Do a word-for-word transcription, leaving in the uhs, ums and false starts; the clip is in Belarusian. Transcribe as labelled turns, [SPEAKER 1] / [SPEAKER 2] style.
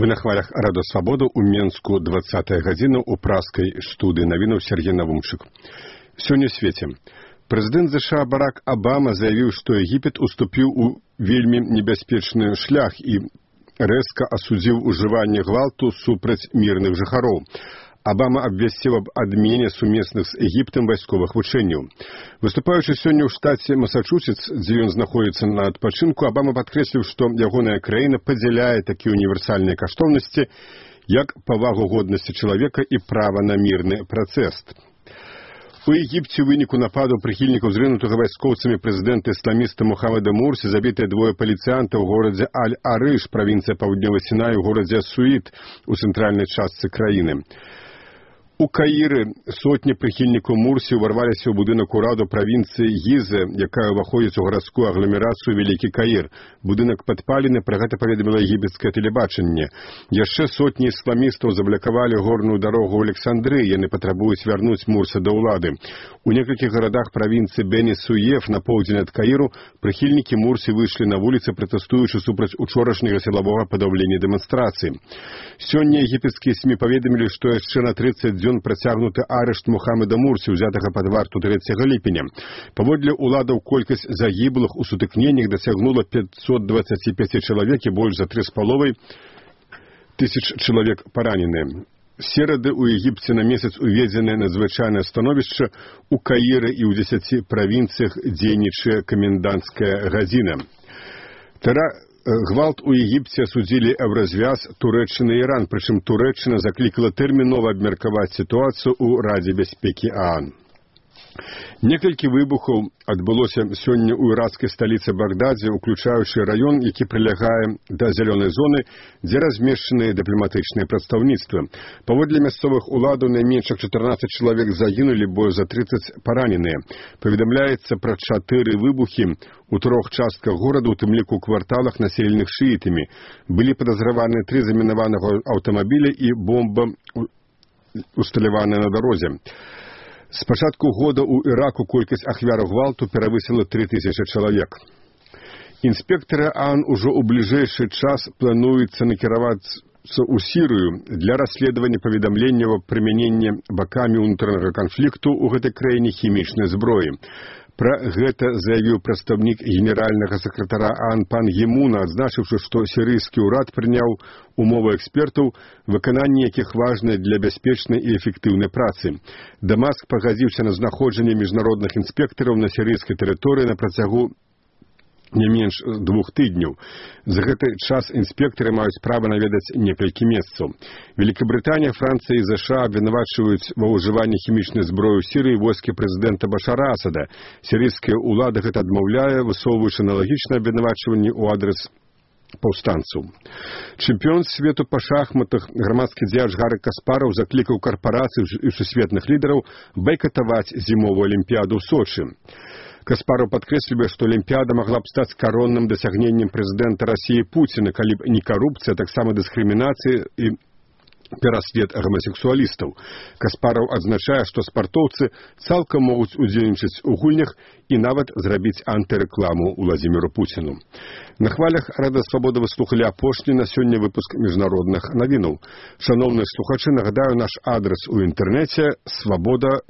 [SPEAKER 1] Вы на хвалях Радо Свабоду у Менску двадцатая гадзіна ў праскай студыі навінаў Сергей Навумчык. Сёння ў свеце. Прэзідэнт ЗША Барак Абама заявіў, што Егіпет уступіў у вельмі небяспечны шлях і рэзка асудзіў ужыванне гвалту супраць мірных жыхароў. Абама абвясціў аб адмене сумесных з Егіптам вайсковых вучэнняў. Выступаючы сёння ў штаце Масачусетс, дзе ён знаходзіцца на адпачынку, Абама падкрэсліў, што ягоная краіна падзяляе такія універсальныя каштоўнасці, як павагу годнасці чалавека і права на мірны працэс. У Егіпце ў выніку нападу прыхільнікаў зрынутага вайскоўцамі прэзідэнта ісламіста Мухаммада Мурсі забітыя двое паліцыянтаў у горадзе Аль-Арыш, правінцыя Паўднёвы Сінай, у горадзе Суіт у цэнтральнай частцы краіны. У Каіры сотні прыхільнікаў Мурсі ўварваліся ў будынак ураду правінцыі Гіза, якая ўваходзіць у гарадскую агламерацыю Вялікі Каір. Будынак падпалены, пра гэта паведаміла егіпецкае тэлебачанне. Яшчэ сотні ісламістаў заблакавалі горную дарогу ў Александрыі, яны патрабуюць вярнуць Мурса да ўлады. У некалькіх гарадах правінцыі Бені-Суеф на поўдзень ад Каіру прыхільнікі Мурсі выйшлі на вуліцы, пратэстуючы супраць учорашняга сілавога падаўлення дэманстрацыі. Сёння егіпецкія СМІ паведамілі, што яшчэ на трыццаць дзён працягнуты арышт Мухаммада Мурсі, узятага пад варту трэцяга ліпеня. Паводле ўладаў колькасць загіблых у сутыкненнях дасягнула пятьсот двадцать пять чалавек і больш за тры з паловай тысяч чалавек параненыя. Серады ў Егіпце на месяц уведзенае надзвычайнае становішча, у Каіры і ў дзесяці правінцыях дзейнічае каменданцкая гадзіна. Тара Гвалт у Егіпце асудзілі ў развяз Турэччына і Іран, прычым Турэччына заклікала тэрмінова абмеркаваць сітуацыю ў Радзе бяспекі ААН. Некалькі выбухаў адбылося сёння ў іракскай сталіцы Багдадзе, уключаючы раён, які прылягае да зялёнай зоны, дзе размешчаныя дыпламатычныя прадстаўніцтвы. Паводле мясцовых уладаў найменш чатырнаццаць чалавек загінулі, больш за трыццаць параненыя. Паведамляецца пра чатыры выбухі у трох частках горада, у тым ліку ў кварталах, населеных шыітамі. Былі падазраваны тры замінаванага аўтамабіля і бомба, усталяваная на дарозе. З пачатку года ў Іраку колькасць ахвяраў гвалту перавысіла тры тысячы чалавек. Інспектары ААН ужо ў бліжэйшы час плануецца накіравацца ў Сірыю для расследавання паведамленняў аб прымяненні бакамі ўнутранага канфлікту ў гэтай краіне хімічнай зброі. Пра гэта заявіў прадстаўнік генеральнага сакратара ААН пан Гімуна, адзначыўшы, што сірыйскі ўрад прыняў умовы экспертаў, выкананне якіх важнае для бяспечнай і эфектыўнай працы. Дамаск пагадзіўся на знаходжанне міжнародных інспектараў на сірыйскай тэрыторыі на працягу не менш двух тыдняў. За гэты час інспектары маюць права наведаць некалькі месцаў. Великабрытанія, Францыя і ЗША абвінавачваюць ва ўжыванні хімічнай зброі ў Сірыі войскі прэзідэнта Башара Асада. Сірыйскія ўлады гэта адмаўляе, высоўваючы аналагічнае абвінавачванне ў адрас паўстанцаў. Чэмпіён свету па шахматах, грамадскі дзеяч Гары Каспараў заклікаў карпарацыі і сусветных лідараў байкатаваць зімовую алімпіяду ў Сочы. Каспараў падкрэслівае, што алімпіяда магла б стаць каронным дасягненнем прэзідэнта Расіі Пуціна, калі б не карупцыя, а таксама дыскрымінацыя і пераслед гомасексуалістаў. Каспараў адзначае, што спартоўцы цалкам могуць удзельнічаць у гульнях і нават зрабіць антырэкламу Уладзіміру Пуціну. На хвалях Рада Свабода вы слухалі апошні на сёння выпуск міжнародных навінаў. Шаноўныя слухачы, нагадаю наш адрас у інтэрнэце свабода